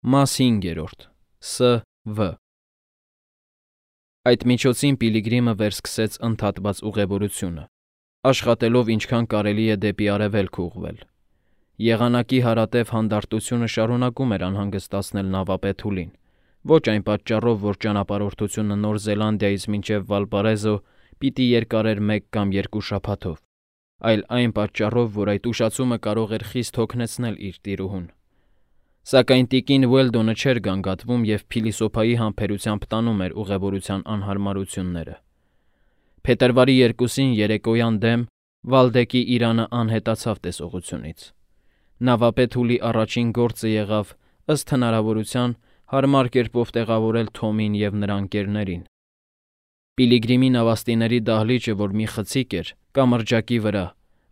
Մաս 5. Ս.Վ. Այդ միջոցին Պիլիգրիմը վերսկսեց ընդհատված ուղևորությունը, աշխատելով ինչքան կարելի է դեպի արևելք ուղղվել։ Եղանակի հարատև հանդարտությունը շարունակում էր անհանգստացնել նավապետուլին, ոչ այն պատճառով, որ ճանապարհորդությունը Նոր Զելանդիայից մինչև Վալպարեզո պիտի երկարեր 1 կամ 2 շաբաթով, այլ այն պատճառով, որ այդ ուշացումը կարող էր խիստ հոգնեցնել իր տիրուհուն։ Սակայն տիկին Ուելդոնը չէր գանգատվում և փիլիսոփայի համբերությամբ տանում էր ուղևորության անհարմարությունները։ Փետրվարի 2-ին երեկոյան դեմ Վալդեկի իրանը անհետացավ տեսողությունից։ Նավապետուլի առաջին գործը եղավ, ըստ հնարավորության, հարմար կերպով տեղավորել Թոմին և նրա ընկերներին։ Պիլիգրիմի նավաստիների դահլիճը, որ մի խցիկ էր, կամրջակի վրա,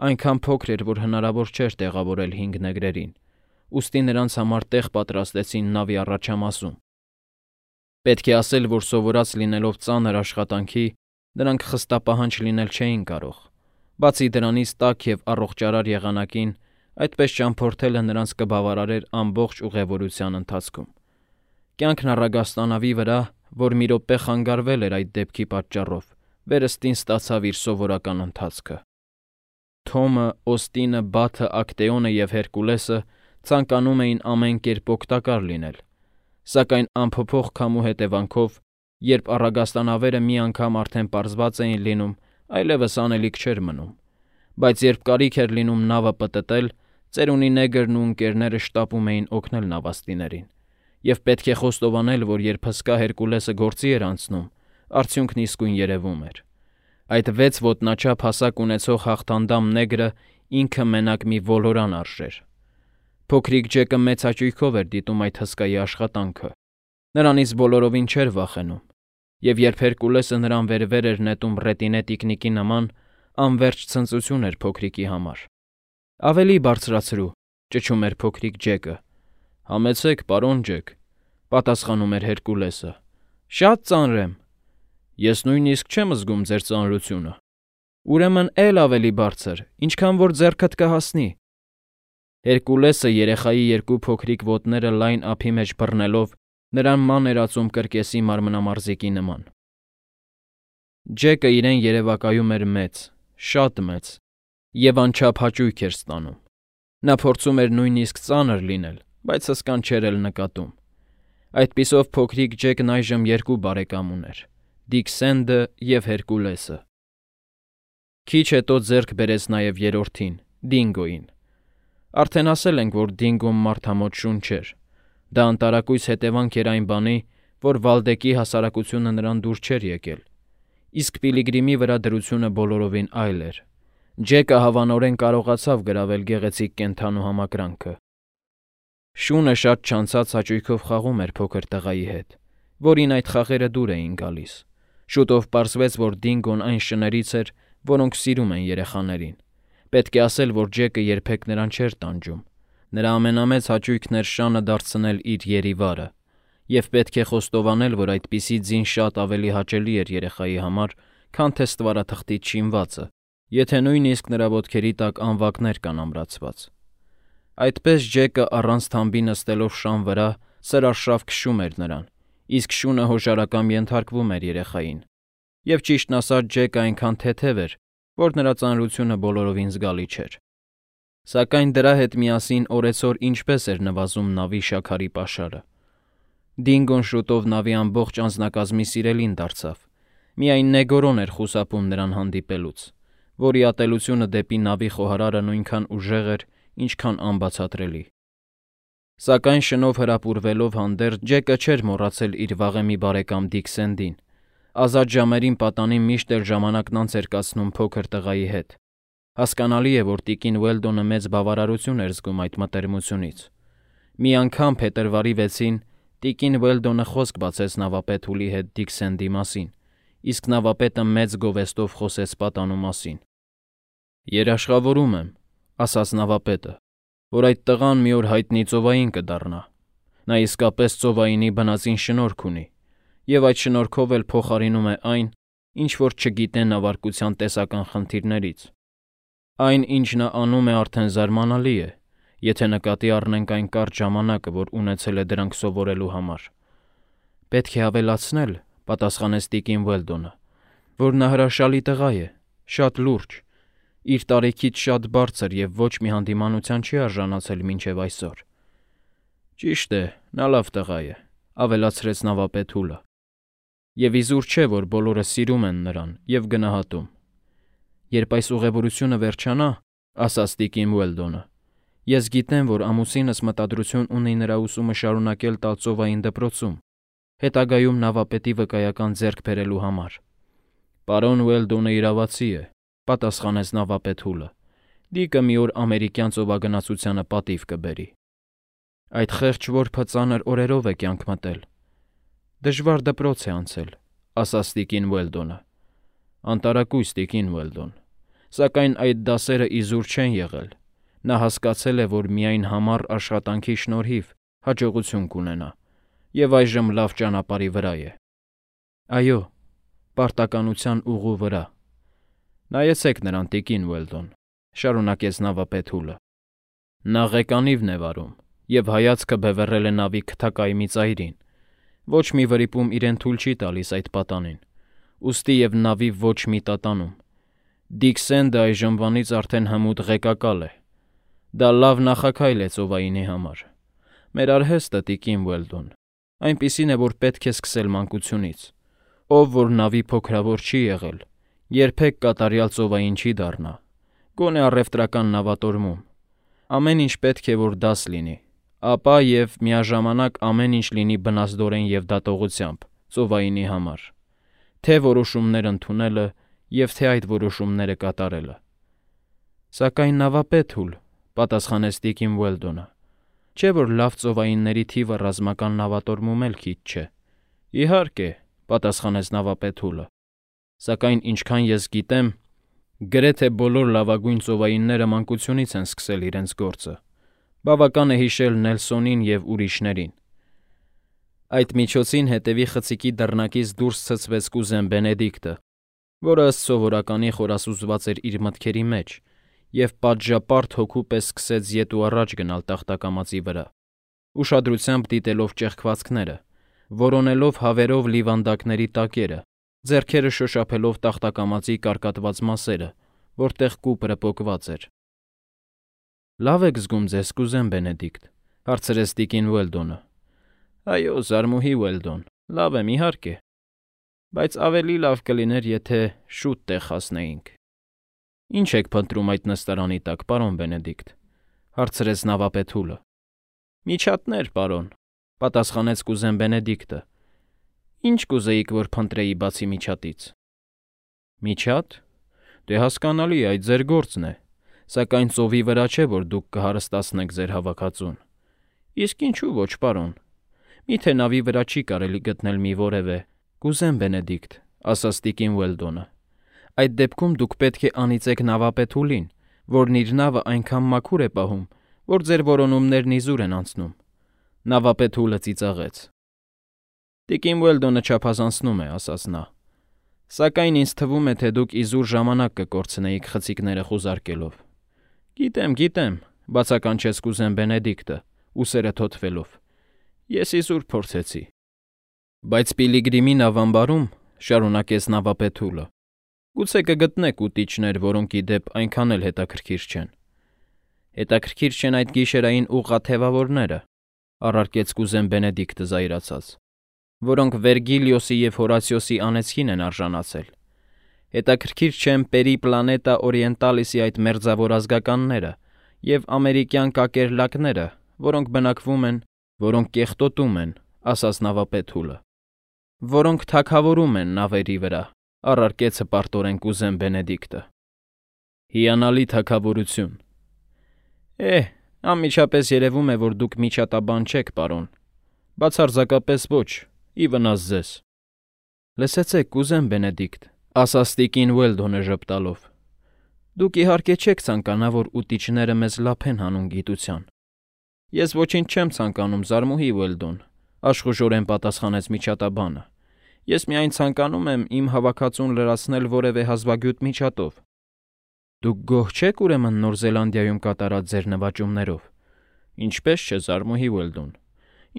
այնքան փոքր էր, որ հնարավոր չէր տեղավորել 5 նեգրերին, ուստի նրանց համար տեղ պատրաստեցին նավի առաջամասում։ Պետք է ասել, որ սովորած լինելով ծանր աշխատանքի, նրանք խստապահանջ լինել չէին կարող։ Բացի դրանից, տաք և առողջարար եղանակին այդպես ճամփորդելը նրանց կբավարարեր ամբողջ ուղևորության ընթացքում։ Կյանքն առագաստանավի վրա, որ մի րոպե խանգարվել էր այդ դեպքի պատճառով, վերստին ստացավ իր սովորական ընթացքը։ Թոմը, Օստինը, Բաթը, Ակտեոնը և Հերկուլեսը ցանկանում էին ամեն կերպ օգտակար լինել, սակայն անփոփոխ քամու հետևանքով, երբ առագաստանավերը մի անգամ արդեն պարզված էին լինում, այլևս անելիք չէր մնում, բայց երբ կարիք էր լինում նավը պտտել, ծերունի նեգրն ու ընկերները շտապում էին օգնել նավաստիներին, և պետք է խոստովանել, որ երբ հսկա Հերկուլեսը գործի էր անցնում, արդյունքն իսկույն երևում էր։ Այդ 6 ոտնաչափ հասակ ունեցող հաղթանդամ նեգրը ինքը մենակ մի ոլորան արժեր։ Փոքրիկ Ջեկը մեծ հաճույքով էր դիտում այդ հսկայի աշխատանքը։ Նրանից բոլորովին չէր վախենում, և երբ Հերկուլեսը նրան վեր էր նետում ռետինե տիկնիկի նման, անվերջ ցնծություն էր փոքրիկի համար։ Ավելի բարձրացրու, ճչում էր փոքրիկ Ջեկը։ Համեցեք, պարոն Ջեք, պատասխանում էր Հերկուլեսը։ Շատ ծանր եմ։ Ես նույնիսկ չեմ զգում ձեր ծանրությունը։ Ուրեմն էլ ավելի բարձր, ինչքան որ ձեռքդ կհասնի։ Հերկուլեսը երեխայի 2 փոքրիկ ոտները լայն ափի մեջ բռնելով նրան ման էր ածում կրկեսի մարմնամարզիկի նման։ Ջեկը իրեն երևակայում էր մեծ, շատ մեծ, և անչափ հաճույք էր ստանում։ Նա փորձում էր նույնիսկ ծանր լինել, բայց հսկան չէր էլ նկատում։ Այդպիսով փոքրիկ Ջեկն այժմ 2 բարեկամ ուներ՝ Դիքսենդը և Հերկուլեսը։ Քիչ հետո ձեռք բերեց նաև երրորդին՝ Դինգոյին։ Արդեն ասել ենք, որ Դինգոն մարդամոտ շուն չէր։ Դա անտարակույս հետևանք էր այն բանի, որ Վալդեկի հասարակությունը նրան դուր չէր եկել։ Իսկ Պիլիգրիմի վրա դրությունը բոլորովին այլ էր։ Ջեկը հավանորեն կարողացավ գրավել գեղեցիկ կենդանու համակրանքը։ Շունը շատ չանցած հաճույքով խաղում էր փոքր տղայի հետ, որին այդ խաղերը դուր էին գալիս։ Շուտով պարզվեց, որ Դինգոն այն շներից էր, որոնք սիրում են երեխաներին։ Պետք է ասել, որ Ջեկը երբեք նրան չէր տանջում։ Նրա ամենամեծ հաճույքն էր շանը դարձնել իր երիվարը, և պետք է խոստովանել, որ այդպիսի ձին շատ ավելի հաճելի էր երեխայի համար, քան թե ստվարաթղթից շինվածը, եթե նույնիսկ նրա ոտքերի տակ անվակներ կան ամրացված։ Այդպես Ջեկը առանց թամբի նստելով շան վրա սրարշավ քշում էր նրան, իսկ շունը հոժարակամ ենթարկվում էր երեխային։ Եվ ճիշտն ասած, Ջեկը այնքան թեթև էր, որ նրա ծանրությունը բոլորովին զգալի չէր։ Սակայն դրա հետ միասին օրեցօր ինչպես էր նվազում նավի շաքարի պաշարը։ Դինգոն շուտով նավի ամբողջ անձնակազմի սիրելին դարձավ։ Միայն Նեգորոն էր խուսափում նրան հանդիպելուց, որի ատելությունը դեպի նավի խոհարարը նույնքան ուժեղ էր, ինչքան անբացատրելի։ Սակայն շնով հրապուրվելով հանդերձ Ջեկը չէր մոռացել իր վաղեմի բարեկամ Դիքսենդին։ Ազատ ժամերին պատանին միշտ էլ ժամանակն անց էր կացնում փոքր տղայի հետ։ Հասկանալի է, որ տիկին Ուելդոնը մեծ բավարարություն էր զգում այդ մտերմությունից։ Մի անգամ փետրվարի 6-ին տիկին Ուելդոնը խոսք բացեց նավապետուլի հետ Դիքսենդի մասին, իսկ նավապետը մեծ գովեստով խոսեց պատանու մասին։ Երաշխավորում եմ, ասաց նավապետը, որ այդ տղան մի օր հայտնի ծովային կդառնա։ Նա իսկապես ծովայինի բնածին շնորհք ունի, և այդ շնորհքով էլ փոխարինում է այն, ինչ որ չգիտե նավարկության տեսական խնդիրներից։ Այն, ինչ նա անում է, արդեն զարմանալի է, եթե նկատի առնենք այն կարճ ժամանակը, որ ունեցել է դրանք սովորելու համար։ Պետք է ավելացնել, պատասխանեց տիկին Ուելդոնը, որ նա հրաշալի տղա է, շատ լուրջ, իր տարիքից շատ բարձր և ոչ մի հանդիմանության չի արժանացել մինչև այսօր։ Ճիշտ է, նա լավ տղա է, ավելացրեց նավապետուլը։ Եվ իզուր չէ, որ բոլորը սիրում են նրան և գնահատում։ Երբ այս ուղևորությունը վերջանա, ասաց տիկին Ուելդոնը, ես գիտեմ, որ ամուսինս մտադրություն ունի նրա ուսումը շարունակել տալ ծովային դպրոցում, հետագայում նավապետի վկայական ձեռք բերելու համար։ Պարոն Ուելդոնը իրավացի է, պատասխանեց նավապետուլը։ Դիկը մի օր ամերիկյան ծովագնացությանը պատիվ կբերի։ Այդ խեղճ որբը ծանր օրերով է կյանք մտել։ Դժվար դպրոց է անցել, ասաց տիկին Ուելդոնը։ Անտարակույս տիկին Ուելդոն, սակայն այդ դասերը իզուր չեն եղել։ Նա հասկացել է, որ միայն համառ աշխատանքի շնորհիվ հաջողություն կունենա, և այժմ լավ ճանապարհի վրա է։ Այո, պարտականության ուղու վրա։ Նայեցեք նրան, տիկին Ուելդոն, շարունակեց նավապետուլը։ Նա ղեկանիվն է վարում և հայացքը բևեռել է նավի քթակայմի ծայրին։ Ոչ մի վրիպում իրեն թույլ չի տալիս այդ պատանին, ուստի և նավի ոչ մի տատանում։ Դիկ Սենդը այժմվանից արդեն հմուտ ղեկակալ է։ Դա լավ նախաքայլ է ծովայինի համար։ Մեր արհեստը, տիկին Ուելդոն, այնպիսին է, որ պետք է սկսել մանկությունից։ Ով որ նավի փոքրավոր չի եղել, երբեք կատարյալ ծովային չի դառնա, գոնե առևտրական նավատորմում։ Ամեն ինչ պետք է, որ դաս լինի, ապա և միաժամանակ ամեն ինչ լինի բնազդորեն և դատողությամբ ծովայինի համար, թե որոշումներ ընդունելը և թե այդ որոշումները կատարելը։ Սակայն նավապետուլ, պատասխանեց տիկին Ուելդոնը, չէ՞ որ լավ ծովայինների թիվը ռազմական նավատորմում էլ քիչ չէ։ Իհարկե, պատասխանեց նավապետուլը, սակայն ինչքան ես գիտեմ, գրեթե բոլոր լավագույն ծովայինները մանկությունից են սկսել իրենց գործը։ Բավական է հիշել Նելսոնին և ուրիշներին։ Այդ միջոցին հետևի խցիկի դռնակից դուրս ցցվեց կուզեն Բենեդիկտը, որը ըստ սովորականի խորասուզված էր իր մտքերի մեջ և պատժապարտ հոգու պես սկսեց ետ ու առաջ գնալ տախտակամածի վրա, ուշադրությամբ դիտելով ճեղքվածքները, որոնելով հավերով լիվանդակների տակերը, ձեռքերը շոշափելով տախտակամածի կարկատված մասերը, որտեղ կուպրը պոկված էր։ Լավ եք զգում ձեզ, կուզեն Բենեդիկտ, հարցրեց տիկին Ուելդոնը։ Այո, զարմուհի Ուելդոն, լավ եմ, իհարկե, բայց ավելի լավ կլիներ, եթե շուտ տեղ հասնեինք։ Ինչ եք փնտրում այդ նստարանի տակ, պարոն Բենեդիկտ, հարցրեց նավապետուլը։ Միջատներ, պարոն, պատասխանեց կուզեն Բենեդիկտը։ Ինչ կուզեիք, որ փնտրեի բացի միջատից։ Միջատ։ Դե հասկանալի է, այդ ձեր գործն է, սակայն ծովի վրա չէ, որ դուք կհարստացնեք ձեր հավաքածուն։ Իսկ ինչու ոչ, պարոն։ Միթե նավի վրա չի կարելի գտնել մի որևէ։ Կուզեն Բենեդիկտ, ասաց տիկին Ուելդոնը, այդ դեպքում դուք պետք է անիծեք նավապետուլին, որն իր նավը այնքան մաքուր է պահում, որ ձեր որոնումներն իզուր են անցնում։ Նավապետուլը ծիծաղեց։ Տիկին Ուելդոնը չափազանցնում է, ասաց նա։ Սակայն ինձ թվում է, թե դուք իզուր ժամանակ կկորցնեիք խցիկները խուզարկելով։ Գիտեմ, բացականչեց կուզեն Բենեդիկտը, ուսերը թոթվելով։ Ես իզուր փորձեցի։ Բայց Պիլիգրիմի նավամբարում, շարունակեց նավապետուլը, գուցե կգտնեք ուտիչներ, որոնք ի դեպ այնքան էլ հետաքրքիր չեն։ Հետաքրքիր չեն այդ գիշերային ուղղաթևավորները, առարկեց կուզեն Բենեդիկտը զայրացած, որոնք Վերգիլիոսի և Հորացիոսի անեծքին են արժանացել։ Հետաքրքիր չեն Պերիպլանետա Օրիենտալիսի այդ մերձավոր ազգականները և ամերիկյան կակերլակները, որոնք բնակվում են, որոնք կեղտոտում են, ասաց նավապետուլը, որոնք թագավորում են նավերի վրա, առարկեց հպարտորեն կուզեն Բենեդիկտը։ Հիանալի թագավորություն։ Անմիջապես երևում է, որ դուք միջատաբան չեք, պարոն։ Բացարձակապես ոչ, ի վնաս ձեզ։ Լսեցեք, կուզեն Բենեդիկտ, ասաց տիկին Ուելդոնը ժպտալով։ Դուք իհարկե չեք ցանկանա, որ ուտիչները մեզ լափեն հանուն գիտության։ Ես ոչինչ չեմ ցանկանում, զարմուհի Ուելդոն, աշխուժորեն պատասխանեց միջատաբանը։ Ես միայն ցանկանում եմ իմ հավաքածուն լրացնել որևէ հազվագյուտ միջատով։ Դուք գոհ չեք ուրեմն Նոր Զելանդիայում կատարած ձեր նվաճումներով, Ինչպես չէ, զարմուհի Ուելդոն։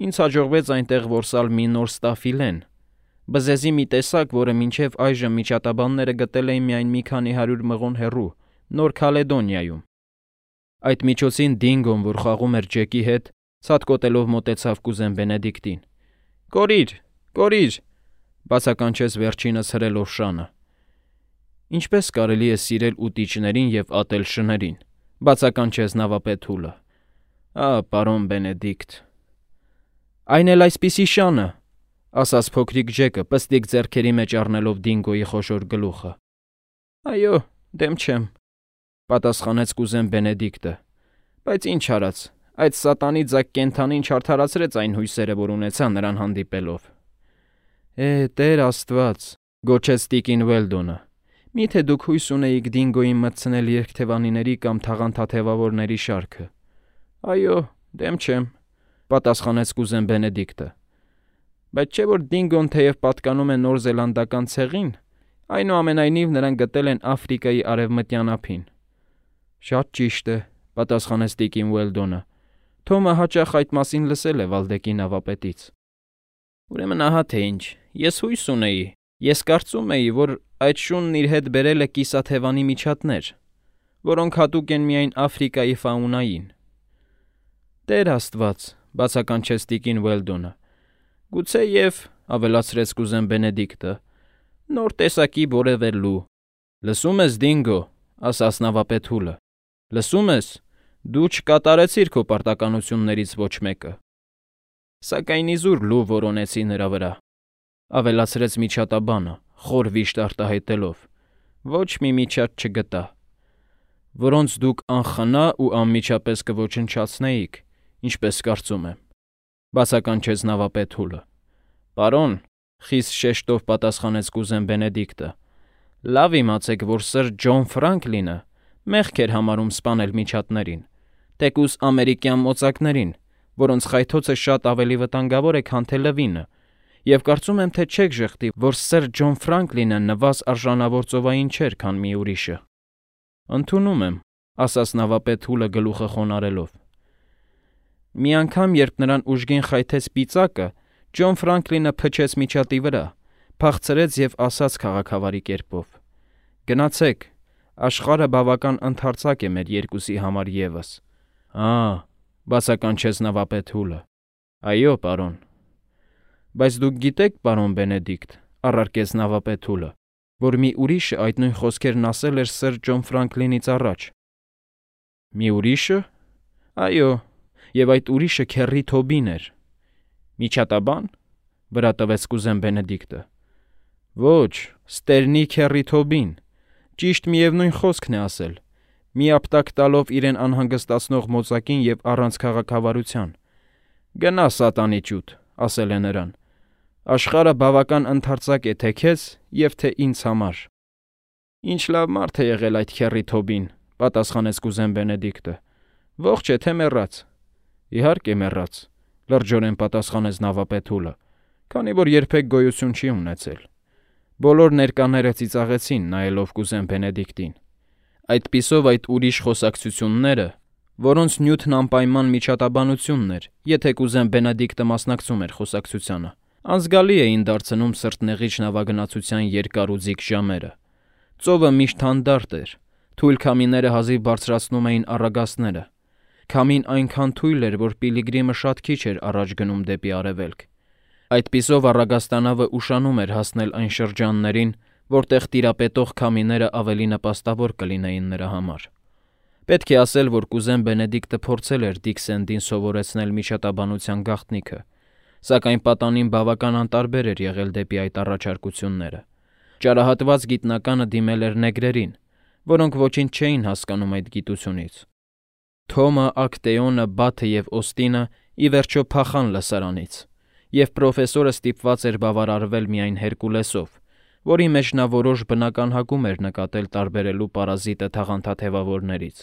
Ինձ հաջողվեց այնտեղ որսալ մի նոր ստաֆիլեն, բզեզի մի տեսակ, որը մինչև այժմ միջատաբանները գտել էին միայն մի քանի 100 մղոն հեռու, Նոր Քալեդոնիայում։ Այդ միջոցին Դինգոն, որ խաղում էր Ջեկի հետ, ցատկոտելով մոտեցավ կուզեն Բենեդիկտին։ «Կորիր, կորիր», բացականչեց վերջինս հրելով շանը։ Ինչպես կարելի է սիրել ուտիչներին և ատել շներին, բացականչեց նավապետ Հուլը։ Պարոն Բենեդիկտ։ Այն էլ այսպիսի շանը, ասաց փոքրիկ Ջեկը, պստիկ ձեռքերի մեջ առնելով Դինգոյի խոշոր գլուխը։ Այո, դեմ չեմ, պատասխանեց կուզեն Բենեդիկտը, բայց ինչ արած, այդ սատանի ձագ կենդանին չարդարացրեց այն հույսերը, որ ունեցա նրան հանդիպելով։ Տեր Աստված, գոչեց տիկին Ուելդոնը, միթե դուք հույս ունեիք Դինգոյին մտցնել երկթևանիների կամ թաղանթաթևավորների շարքը։ Այո, դեմ չեմ, պատասխանեց կուզեն Բենեդիկտը։ Բայց չէ՞ որ Դինգոն թեև պատկանում է Նոր Զելանդական ցեղին, այնուամենայնիվ նրան գտել են Աֆրիկայի արևմտյան ափին։ Շատ ճիշտ է, պատասխանեց տիկին Ուելդոնը։ Թոմը հաճախ այդ մասին լսել է Վալդեկի նավապետից։ Ուրեմն ահա թե ինչ, ես հույս ունեի, ես կարծում էի, որ այդ շունն իր հետ բերել է կիսաթևանի միջատներ, որոնք հատուկ են միայն Աֆրիկայի ֆաունային։ Տեր Աստված, բացականչեց տիկին Ուելդոնը, գուցեև, ավելացրեց կուզեն Բենեդիկտը, նոր տեսակի որևէ լու։ Լսում ես, Դինգո, ասաց նավապետ Հուլը, լսում ես, դու չկատարեցիր քո պարտականություններից ոչ մեկը։ Սակայն իզուր լու որոնեցի նրա վրա, ավելացրեց միջատաբանը, խոր վիշտ արտահայտելով, ոչ մի միջատ չգտա, որոնց դուք անխնա ու անմիջապես կոչնչացնեիք, ինչպես կարծում եմ, բացականչեց նավապետ Հուլը։ Պարոն, խիստ շեշտով պատասխանեց կուզեն Բենեդիկտը, լավ իմացեք, որ սր Ջոն Ֆրանկլինը մեղք էր համարում սպանել միջատներին, թեկուզ ամերիկյան մոծակներին, որոնց խայթոցը շատ ավելի վտանգավոր է, քան թե լվինը, և կարծում եմ, թե չեք ժխտի, որ սր Ջոն Ֆրանկլինը նվազ արժանավոր ծովային չէր, քան մի ուրիշը։ Ընդունում եմ, ասաց նավապետ Հուլը գլուխը խոնարելով։ Մի անգամ, երբ նրան ուժգին խայթեց պիծակը, Ջոն Ֆրանկլինը փչեց միջատի վրա, փախցրեց և ասաց քաղաքավարի կերպով. Գնացեք, աշխարհը բավական ընդարձակ է մեր երկուսի համար ևս։ Բացականչեց նավապետ Հուլը։ Այո, պարոն։ Բայց դուք գիտեք, պարոն Բենեդիկտ, առարկեց նավապետ Հուլը, որ մի ուրիշը այդ նույն խոսքերն ասել էր սր Ջոն Ֆրանկլինից առաջ։ Մի ուրիշը։ Այո, և այդ ուրիշը Քեռի Թոբին էր։ Միջատաբան, վրա տվեց կուզեն Բենեդիկտը։ Ոչ, Ստերնի Քեռի Թոբին, ճիշտ միևնույն խոսքն է ասել, մի ապտակ տալով իրեն անհանգստացնող մոծակին և առանց քաղաքավարության։ Գնա սատանի ճուտ, ասել է նրան։ Աշխարհը բավական ընդարձակ է թե քեզ և թե ինձ համար։ Ինչ լավ մարդ է եղել այդ Քեռի Թոբին, պատասխանեց կուզեն Բենեդիկտը։ Ողջ է թե մեռած։ Իհարկե մեռած, լրջորեն պատասխանեց նավապետ Հուլը, քանի որ երբեք գոյություն չի ունեցել։ Բոլոր ներկաները ծիծաղեցին, նայելով կուզեն Բենեդիկտին։ Այդպիսով այդ ուրիշ խոսակցությունները, որոնց նյութն անպայման միջատաբանությունն էր, եթե կուզեն Բենեդիկտը մասնակցում էր խոսակցությանը, անզգալի էին դարձնում սրտնեղիչ նավագնացության երկար ու ձիգ ժամերը։ Ծովը միշտ հանդարտ էր, թույլ քամիները հազիվ բարձրացնում էին առագաստները։ Քամին այնքան թույլ էր, որ Պիլիգրիմը շատ քիչ էր առաջ գնում դեպի արևելք։ Այդպիսով առագաստանավը ուշանում էր հասնել այն շրջաններին, որտեղ տիրապետող քամիները ավելի նպաստավոր կլինեին նրա համար։ Պետք է ասել, որ կուզեն Բենեդիկտը փորձել էր Դիքսենդին սովորեցնել միջատաբանության գաղտնիքը, սակայն պատանին բավական անտարբեր էր եղել դեպի այդ առաջարկությունները։ Ճարահատված գիտնականը դիմել էր նեգրերին, որոնք ոչինչ չէին հասկանում այդ գիտությունից։ Թոմը, Ակտեոնը, Բաթը և Օստինը ի վերջո փախան լսարանից, և պրոֆեսորը ստիպված էր բավարարվել միայն Հերկուլեսով, որի մեջ նա որոշ բնական հակում էր նկատել տարբերելու պարազիտը թաղանթաթևավորներից։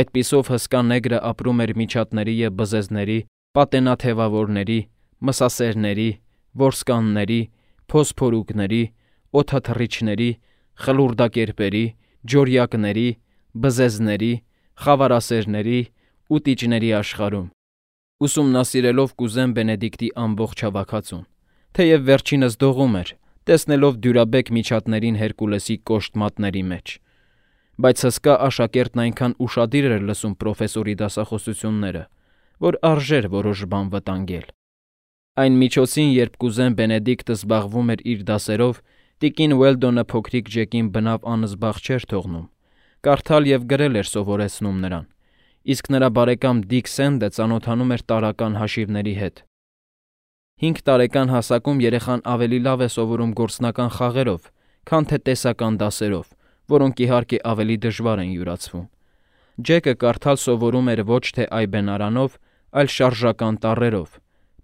Այդպիսով հսկա նեգրը ապրում էր միջատների և բզեզների, պատենաթևավորների, մսասերների, որսկանների, փոսփորուկների, օդաթռիչների, խլուրդակերպերի, ջորյակների, բզեզների, խավարասերների, ու տիճների աշխարհում։ Ուսումնասիրելով կուզեմ Բենեդիկտի ամբողջ հավաքածուն, թեև վերջինս դողում էր, տեսնելով դյուրաբեկ միջատներին Հերկուլեսի կոշտ մատների մեջ։ Բայց հսկա աշակերտն այնքան ուշադիր էր լսում պրոֆեսորի դասախոսությունները, որ արժեր որոշ բան վտանգել։ Այն միջոցին, երբ կուզեն Բենեդիկտը զբաղվում էր իր դասերով, տիկին Ուելդոնը փոքրիկ Ջեկին բնավ անզբաղ չէր թողնում, կարդալ և գրել էր սովորեցնում նրան, իսկ նրա բարեկամ Դիկ Սենդը ծանոթանում էր տարրական հաշիվների հետ։ 5 տարեկան հասակում երեխան ավելի լավ է սովորում գործնական խաղերով, քան թե տեսական դասերով, որոնք իհարկե ավելի դժվար են յուրացվում։ Ջեկը կարդալ սովորում էր ոչ թե այբենարանով, այլ շարժական տառերով,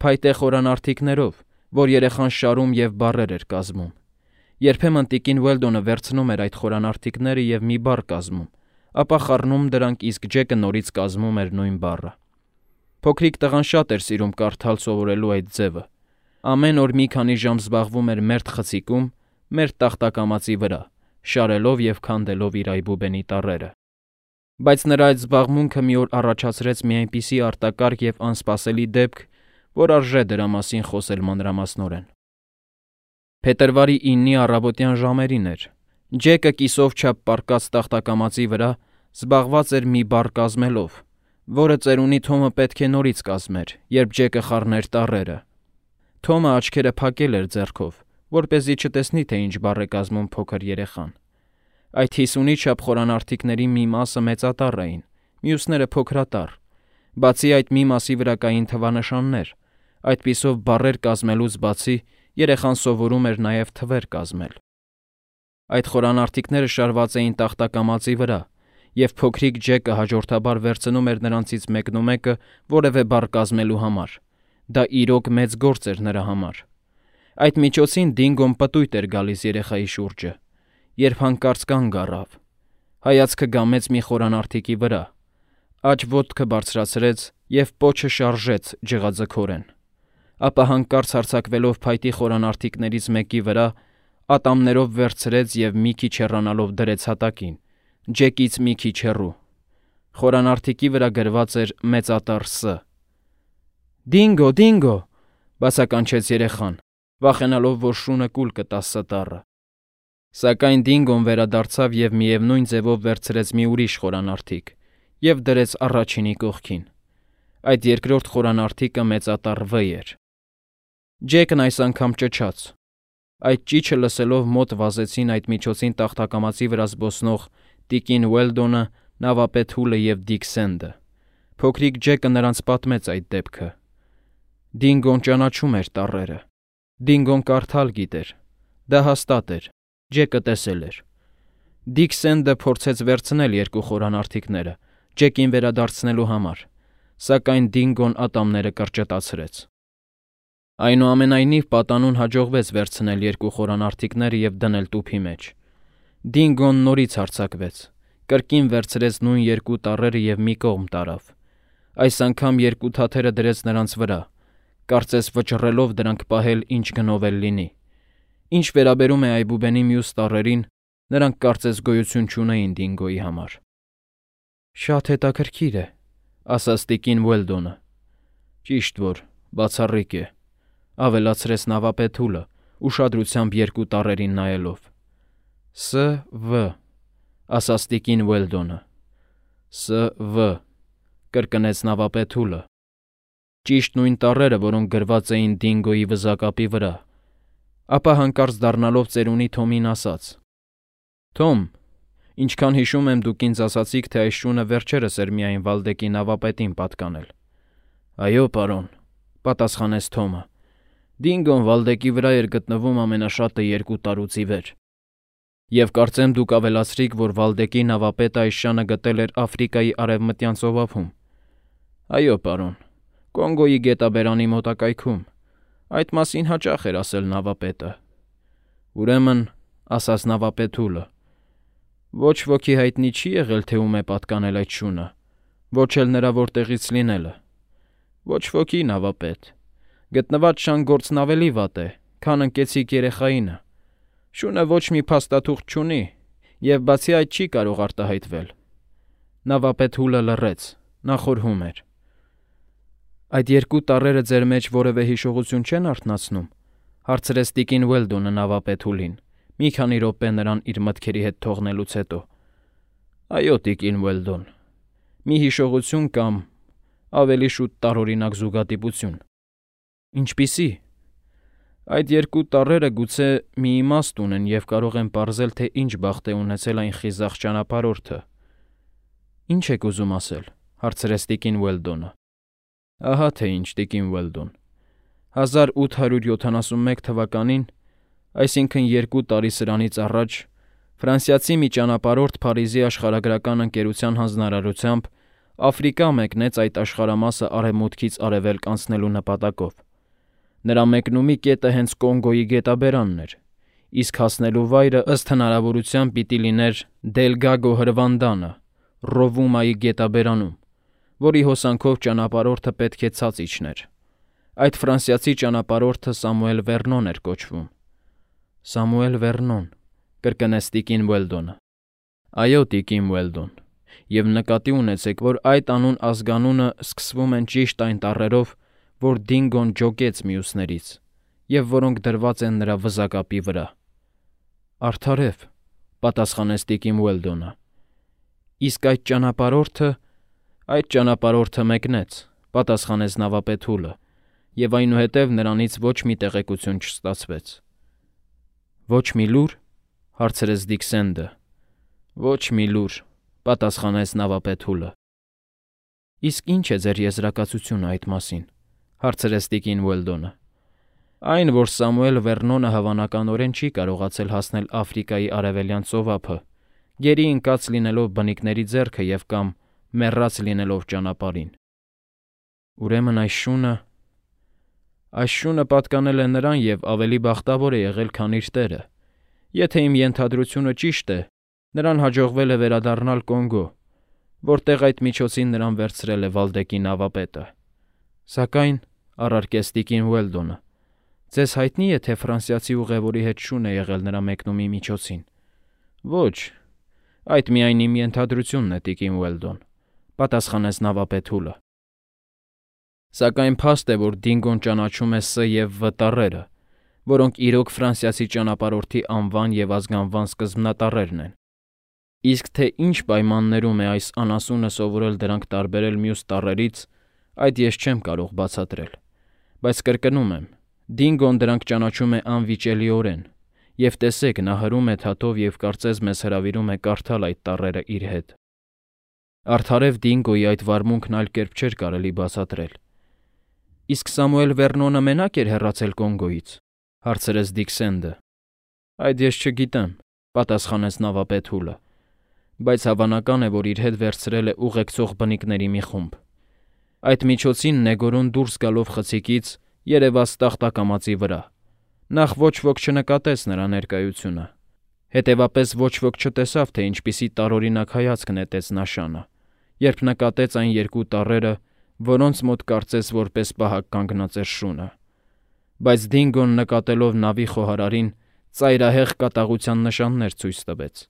փայտե խորանարդիկներով, որ երեխան շարում և բառեր էր կազմում։ Երբեմն տիկին Ուելդոնը վերցնում էր այդ խորանարդիկները և մի բառ կազմում, ապա խառնում դրանք, իսկ Ջեկը նորից կազմում էր նույն բառը։ Փոքրիկ տղան շատ էր սիրում կարդալ սովորելու այդ ձևը։ Ամեն օր մի քանի ժամ զբաղվում էր մերթ խցիկում, մերթ տախտակամածի վրա, շարելով և քանդելով իր այբուբենի տառերը։ Բայց նրա այդ զբաղմունքը մի օր առաջացրեց մի այնպիսի արտակարգ և անսպասելի դեպք, որ արժե դրա մասին խոսել մանրամասնորեն։ Փետրվարի 9-ի առավոտյան ժամերին էր։ Ջեկը կիսով չափ պառկած տախտակամածի վրա զբաղված էր մի բառ կազմելով, որը ծերունի Թոմը պետք է նորից կազմեր, երբ Ջեկը խառներ տառերը։ Թոմը աչքերը փակել էր ձեռքով, որպեսզի չտեսնի, թե ինչ բառ է կազմում փոքր երեխան։ Այդ 50-ի չափ խորանարդիկների մի մասը մեծատառ էին, մյուսները փոքրատառ։ Բացի այդ մի մասի վրա կային թվանշաններ, այդպիսով բառեր կազմելուց բացի երեխան սովորում էր նաև թվեր կազմել։ Այդ խորանարդիկները շարված էին տախտակամածի վրա, և փոքրիկ Ջեկը հաջորդաբար վերցնում էր նրանցից մեկնումեկը որևէ բառ կազմելու համար։ Դա իրոք մեծ գործ էր նրա համար։ Այդ միջոցին Դինգոն պտույտ էր գալիս երեխայի շուրջը, երբ հանկարծ կանգ առավ, հայացքը գամեց մի խորանարդիկի վրա, աջ ոտքը բարձրացրեց և պոչը շարժեց ջղաձգորեն, ապա հանկարծ հարձակվելով փայտի խորանարդիկներից մեկի վրա, ատամներով վերցրեց և մի քիչ հեռանալով դրեց հատակին, Ջեկից մի քիչ հեռու։ Խորանարդիկի վրա գրված էր մեծատառ Ս։ «Դինգո, Դինգո», բացականչեց երեխան, վախենալով, որ շունը կուլ կտա Ս տառը։ Սակայն Դինգոն վերադարձավ և միևնույն ձևով վերցրեց մի ուրիշ խորանարդիկ և դրեց առաջինի կողքին։ Այդ երկրորդ խորանարդիկը մեծատառ Վ էր։ Ջեկն այս անգամ ճչաց։ Այդ ճիչը լսելով մոտ վազեցին այդ միջոցին տախտակամածի վրա զբոսնող տիկին Ուելդոնը, նավապետ Հուլը և Դիկ Սենդը։ Փոքրիկ Ջեկը նրանց պատմեց այդ դեպքը։ Դինգոն ճանաչում էր տառերը։ Դինգոն կարդալ գիտեր։ Դա հաստատ էր։ Ջեկը տեսել էր։ Դիկ Սենդը փորձեց վերցնել երկու խորանարդիկները, Ջեկին վերադարձնելու համար, սակայն Դինգոն ատամները կրճտացրեց։ Այնուամենայնիվ պատանուն հաջողվեց վերցնել երկու խորանարդիկները և դնել տուփի մեջ։ Դինգոն նորից հարձակվեց, կրկին վերցրեց նույն երկու տառերը և մի կողմ տարավ։ Այս անգամ երկու թաթերը դրեց նրանց վրա, կարծես վճռելով դրանք պահել ինչ գնով էլ լինի։ Ինչ վերաբերում է այբուբենի մյուս տառերին, նրանք կարծես գոյություն չունեին Դինգոյի համար։ «Շատ հետաքրքիր է», ասաց տիկին Ուելդոնը։ «Ճիշտ որ, բացառիկ է», ավելացրեց նավապետ Հուլը, ուշադրությամբ երկու տառերին նայելով։ «Ս. Վ», ասաց տիկին Ուելդոնը։ «Ս. Վ», կրկնեց նավապետ Հուլը։ Ճիշտ նույն տառերը, որոնք գրված էին Դինգոյի վզակապի վրա։ Ապա հանկարծ դառնալով ծերունի Թոմին ասաց. «Թոմ, ինչքան հիշում եմ, դուք ինձ ասացիք, թե այս շունը վերջերս էր միայն Վալդեկի նավապետին պատկանել»։ «Այո, պարոն», պատասխանեց Թոմը։ «Դինգոն Վալդեկի վրա էր գտնվում ամենաշատը 2 տարուց ի վեր։ Եվ կարծեմ դուք ավելացրիք, որ Վալդեկի նավապետը այս շանը գտել էր Աֆրիկայի արևմտյան ծովափում»։ «Այո, պարոն, Կոնգոյի գետաբերանի մոտակայքում։ Այդ մասին հաճախ էր ասել նավապետը»։ «Ուրեմն», ասաց նավապետ Հուլը, «ոչ ոքի հայտնի չի եղել, թե ում է պատկանել այդ շունը, ոչ էլ նրա որտեղից լինելը»։ «Ոչ ոքի, նավապետ։ Գտնված շան գործն ավելի վատ է, քան ընկեցիկ երեխայինը։ Շունը ոչ մի փաստաթուղթ չունի և բացի այդ չի կարող արտահայտվել»։ Նավապետ Հուլը լռեց, նա խորհում էր։ Այդ երկու տառերը ձեր մեջ որևէ հիշողություն չեն արթնացնում, հարցրեց տիկին Ուելդոնը նավապետուլին, մի քանի րոպե նրան իր մտքերի հետ թողնելուց հետո։ Այո, տիկին Ուելդոն, մի հիշողություն կամ ավելի շուտ տարօրինակ զուգադիպություն։ Ինչպիսի։ Այդ երկու տառերը գուցե մի իմաստ ունեն և կարող են պարզել, թե ինչ բախտ է ունեցել այն խիզախ ճանապարհորդը։ Ինչ եք ուզում ասել, հարցրեց տիկին Ուելդոնը։ Ահա թե ինչ, տիկին Ուելդոն։ 1871 թվականին, այսինքն 2 տարի սրանից առաջ, ֆրանսիացի մի ճանապարհորդ Փարիզի աշխարհագրական ընկերության հանձնարարությամբ Աֆրիկա մեկնեց այդ աշխարհամասը արևմուտքից արևելք անցնելու նպատակով։ Նրա մեկնումի կետը հենց Կոնգոյի գետաբերանն էր, իսկ հասնելու վայրը ըստ հնարավորության պիտի լիներ Դելգագո հրվանդանը, Ռովումայի գետաբերանում, որի հոսանքով ճանապարհորդը պետք է ցած իջներ։ Այդ ֆրանսիացի ճանապարհորդը Սամուել Վերնոն էր կոչվում։ Սամուել Վերնոն, կրկնեց տիկին Ուելդոնը։ Այո, տիկին Ուելդոն, և նկատի ունեցեք, որ այդ անուն ազգանունը սկսվում են ճիշտ այն տառերով, որ Դինգոն ջոկեց մյուսներից, և որոնք դրված են նրա վզակապի վրա։ Արդարև, պատասխանեց տիկին Ուելդոնը։ Իսկ այդ ճանապարհորդը մեկնեց, պատասխանեց նավապետուլը, և այնուհետև նրանից ոչ մի տեղեկություն չստացվեց։ Ոչ մի լուր, հարցրեց Դիքսենդը։ Ոչ մի լուր, պատասխանեց նավապետուլը։ Իսկ ինչ է ձեր եզրակացությունը այդ մասին, հարցրեց տիկին Ուելդոնը։ Այն, որ Սամուել Վերնոնը հավանականորեն չի կարողացել հասնել Աֆրիկայի արևելյան ծովափը, գերի ընկած լինելով բնիկների ձեռքը և կամ մեռած լինելով ճանապարհին։ Ուրեմն այս շունը պատկանել է նրան և ավելի բախտավոր է եղել, քան իր տերը։ Եթե իմ ենթադրությունը ճիշտ է, նրան հաջողվել է վերադառնալ Կոնգո, որտեղ այդ միջոցին նրան վերցրել է Վալդեկի նավապետը։ Սակայն, առարկեց տիկին Ուելդոնը, ձեզ հայտնի է, թե ֆրանսիացի ուղևորի հետ շուն է եղել նրա մեկնումի միջոցին։ Ոչ, այդ միայն իմ ենթադրությունն է, տիկին Ուելդոն, պատասխանեց նավապետուլը։ Սակայն փաստ է, որ Դինգոն ճանաչում է Ս և Վ տառերը, որոնք իրոք ֆրանսիացի ճանապարհորդի անվան և ազգանվան սկզբնատառերն են։ Իսկ թե ինչ պայմաններում է այս անասունը սովորել դրանք տարբերել մյուս տառերից, այդ ես չեմ կարող բացատրել, բայց կրկնում եմ, Դինգոն դրանք ճանաչում է անվիճելիորեն, և տեսեք, նա հրում է թաթով և կարծես մեզ հրավիրում է կարդալ այդ տառերը իր հետ։ Արդարև Դինգոյի այդ վարմունքն այլ կերպ չէր կարելի բացատրել։ Իսկ Սամուել Վերնոնը մենակ էր հեռացել Կոնգոյից, հարցրեց Դիքսենդը։ Այդ ես չգիտեմ, պատասխանեց նավապետուլը, բայց հավանական է, որ իր հետ վերցրել է ուղեկցող բնիկների մի խումբ։ Այդ միջոցին Նեգորոն դուրս գալով խցիկից երևաց տախտակամածի վրա։ Նախ ոչ ոք չնկատեց նրա ներկայությունը։ Հետևապես ոչ ոք չտեսավ, թե ինչպիսի տարօրինակ հայացք նետեց նա շանը, երբ նկատեց այն երկու տառերը, որոնց մոտ կարծես որպես պահակ կանգնած էր շունը։ Բայց Դինգոն նկատելով նավի խոհարարին, ծայրահեղ կատաղության նշաններ ցույց տվեց։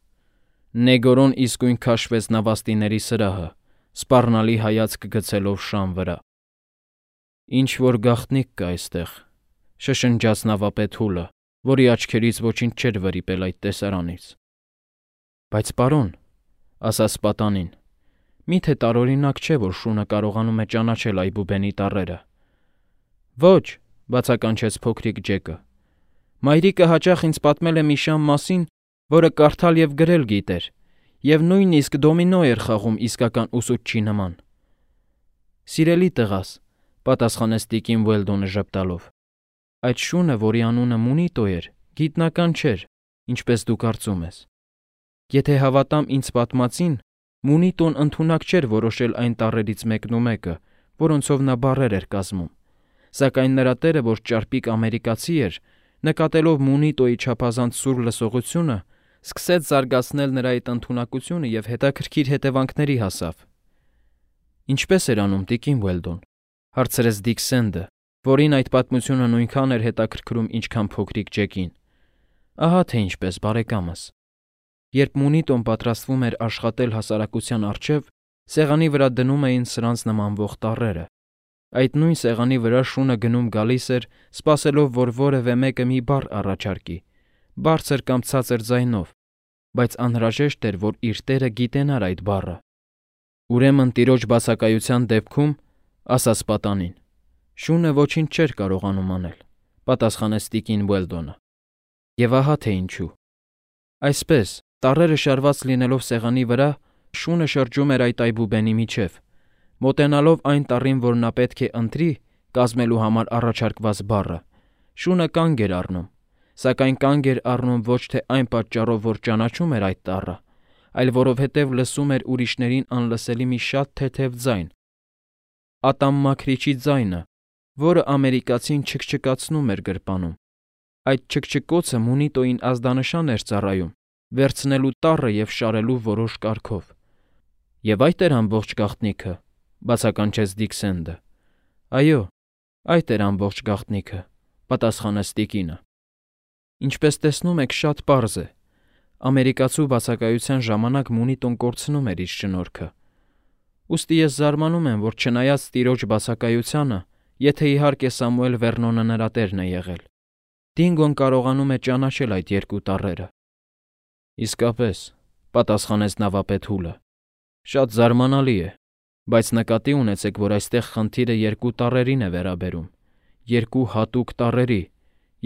Նեգորոն իսկույն քաշվեց նավաստիների սրահը, սպառնալի հայացք գցելով շան վրա։ Ինչ որ գաղտնիք կա այստեղ, շշնջաց նավապետուլը, որի աչքերից ոչինչ չէր վրիպել այդ տեսարանից։ Բայց պարոն, ասաց պատանին, միթե տարօրինակ չէ, որ շունը կարողանում է ճանաչել այբուբենի տառերը։ Ոչ, բացականչեց փոքրիկ Ջեկը։ Մայրիկը հաճախ ինձ պատմել է մի շան մասին, որը կարդալ և գրել գիտեր, և նույնիսկ դոմինո էր խաղում իսկական ուսուցչի նման։ Սիրելի տղաս, պատասխանեց տիկին Ուելդոնը ժպտալով, այդ շունը, որի անունը Մունիտո էր, գիտնական չէր, ինչպես դու կարծում ես։ Եթե հավատամ ինձ պատմածին, Մունիտոն ընդունակ չէր որոշել այն տառերից մեկն ու մեկը, որոնցով նա բառեր էր կազմում, սակայն նրա տերը, որ ճարպիկ ամերիկացի էր, նկատելով Մունիտոյի չափազանց սուր լսողությունը, սկսեց զարգացնել նրա այդ ընդունակությունը և հետաքրքիր հետևանքների հասավ։ Ինչպե՞ս էր անում տիկին Ուելդոն, հարցրեց Դիքսենդը, որին այդ պատմությունը նույնքան էր հետաքրքրում, ինչքան փոքրիկ Ջեկին։ Ահա թե ինչպես, բարեկամս։ Երբ Մունիտոն պատրաստվում էր աշխատել հասարակության առջև, Սեղանի վրա դնում էին սրանց նմանվող տառերը։ Այդ նույն սեղանի վրա շունը գնում գալիս էր, սպասելով, որ որևէ մեկը մի բառ առաջարկի, բարձր կամ ցածր ձայնով, բայց անհրաժեշտ էր, որ իր տերը գիտենար այդ բառը։ Ուրեմն տիրոջ բացակայության դեպքում, ասաց պատանին, շունը ոչինչ չէր կարողանում անել, պատասխանեց տիկին Ուելդոնը։ Եվ ահա թե ինչու։ Այսպես, տառերը շարված լինելով սեղանի վրա, շունը շրջում էր այդ այբուբենի միջև, մոտենալով այն տառին, որ նա պետք է ընտրի կազմելու համար առաջարկված բառը, շունը կանգ էր առնում, սակայն կանգ էր առնում ոչ թե այն պատճառով, որ ճանաչում էր այդ տառը, այլ որովհետև լսում էր ուրիշներին անլսելի մի շատ թեթև ձայն, ատամմաքրիչի ձայնը, որը ամերիկացին չքչքացնում էր գրպանում։ Այդ չքչքոցը Մունիտոյին ազդանշան էր ծառայում, վերցնելու տառը և շարելու որոշ կարգով։ Եվ այդ էր ամբողջ գաղտնիքը, բացականչեց Դիքսենդը։ Այո, այդ էր ամբողջ գաղտնիքը, պատասխանեց տիկինը։ Ինչպես տեսնում եք, շատ պարզ է։ Ամերիկացու բացակայության ժամանակ Մունիտոն կորցնում էր իր շնորհքը։ Ուստի ես զարմանում եմ, որ չնայած տիրոջ բացակայությանը, եթե իհարկե Սամուել Վերնոնը նրա տերն է եղել, Դինգոն կարողանում է ճանաչել այդ երկու տառերը։ Իսկապես, պատասխանեց նավապետ Հուլը։ Շատ զարմանալի է, բայց նկատի ունեցեք, որ այստեղ խնդիրը երկու տառերին է վերաբերում, երկու հատուկ տառերի,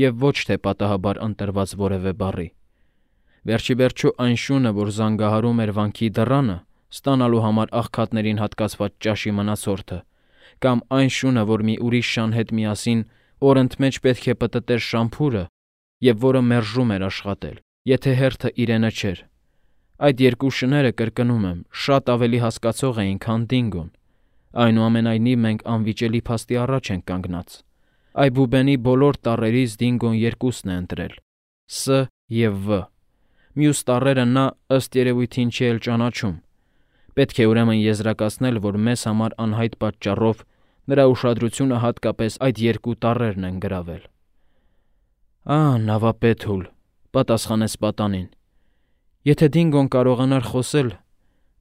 և ոչ թե պատահաբար ընտրված որևէ բառի։ Վերջիվերջո այն շունը, որ զանգահարում էր վանքի դռանը, ստանալու համար աղքատներին հատկացված ճաշի մնացորդը, կամ այն շունը, որ մի ուրիշ շան հետ միասին օրընդմեջ պետք է պտտեր շամփուրը և որը մերժում էր աշխատել, եթե հերթը իրենը չէր։ Այդ երկու շները, կրկնում եմ, շատ ավելի հասկացող էին, քան Դինգոն։ Այնուամենայնիվ մենք անվիճելի փաստի առաջ ենք կանգնած։ Այբուբենի բոլոր տառերից Դինգոն երկուսն է ընտրել՝ Ս և Վ։ Մյուս տառերը նա, ըստ երևույթին, չի էլ ճանաչում։ Պետք է ուրեմն եզրակացնել, որ մեզ համար անհայտ պատճառով նրա ուշադրությունը հատկապես այդ երկու տառերն են գրավել։ Նավապետ Հուլ, պատասխանեց պատանին։ Եթե Դինգոն կարողանար խոսել,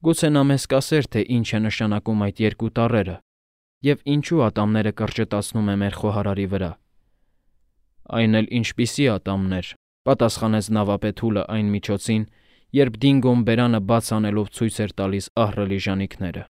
գուցե նա մեզ կասեր, թե ինչ է նշանակում այդ երկու տառերը և ինչու ատամները կրճտացնում է մեր խոհարարի վրա։ Այն էլ ինչպիսի ատամներ, պատասխանեց նավապետ Հուլը այն միջոցին, երբ Դինգոն բերանը բաց անելով ցույց էր տալիս ահռելի ժանիքները։